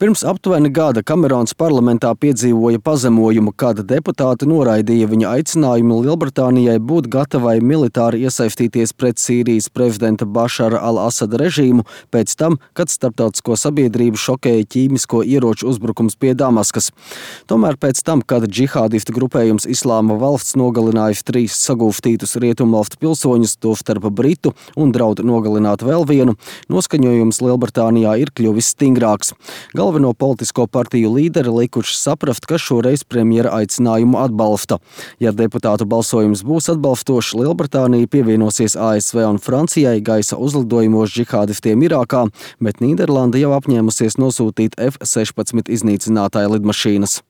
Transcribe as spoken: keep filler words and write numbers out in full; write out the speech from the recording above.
Pirms aptuveni gada Kamerons parlamentā piedzīvoja pazemojumu, kad deputāti noraidīja viņa aicinājumu Lielbritānijai būt gatavai militāri iesaistīties pret Sīrijas prezidenta Bašara al-Asada režīmu pēc tam, kad starptautisko sabiedrību šokēja ķīmisko ieroču uzbrukums pie Damaskas. Tomēr pēc tam, kad džihādistu grupējums Islāma valsts nogalināja trīs sagūstītus rietumvalstu pilsoņus, tostarp britu, un draud nogalināt vēl vienu, noskaņojums Lielbritānijā ir kļuvis stingrāks. Galveno politisko partiju līderi likuši saprast, ka šoreiz premjera aicinājumu atbalsta. Ja deputātu balsojums būs atbalstošs, Lielbritānija pievienosies A S V un Francijai gaisa uzlidojumos džihādistiem Irākā, bet Nīderlande jau apņēmusies nosūtīt F sešpadsmit iznīcinātāju lidmašīnas.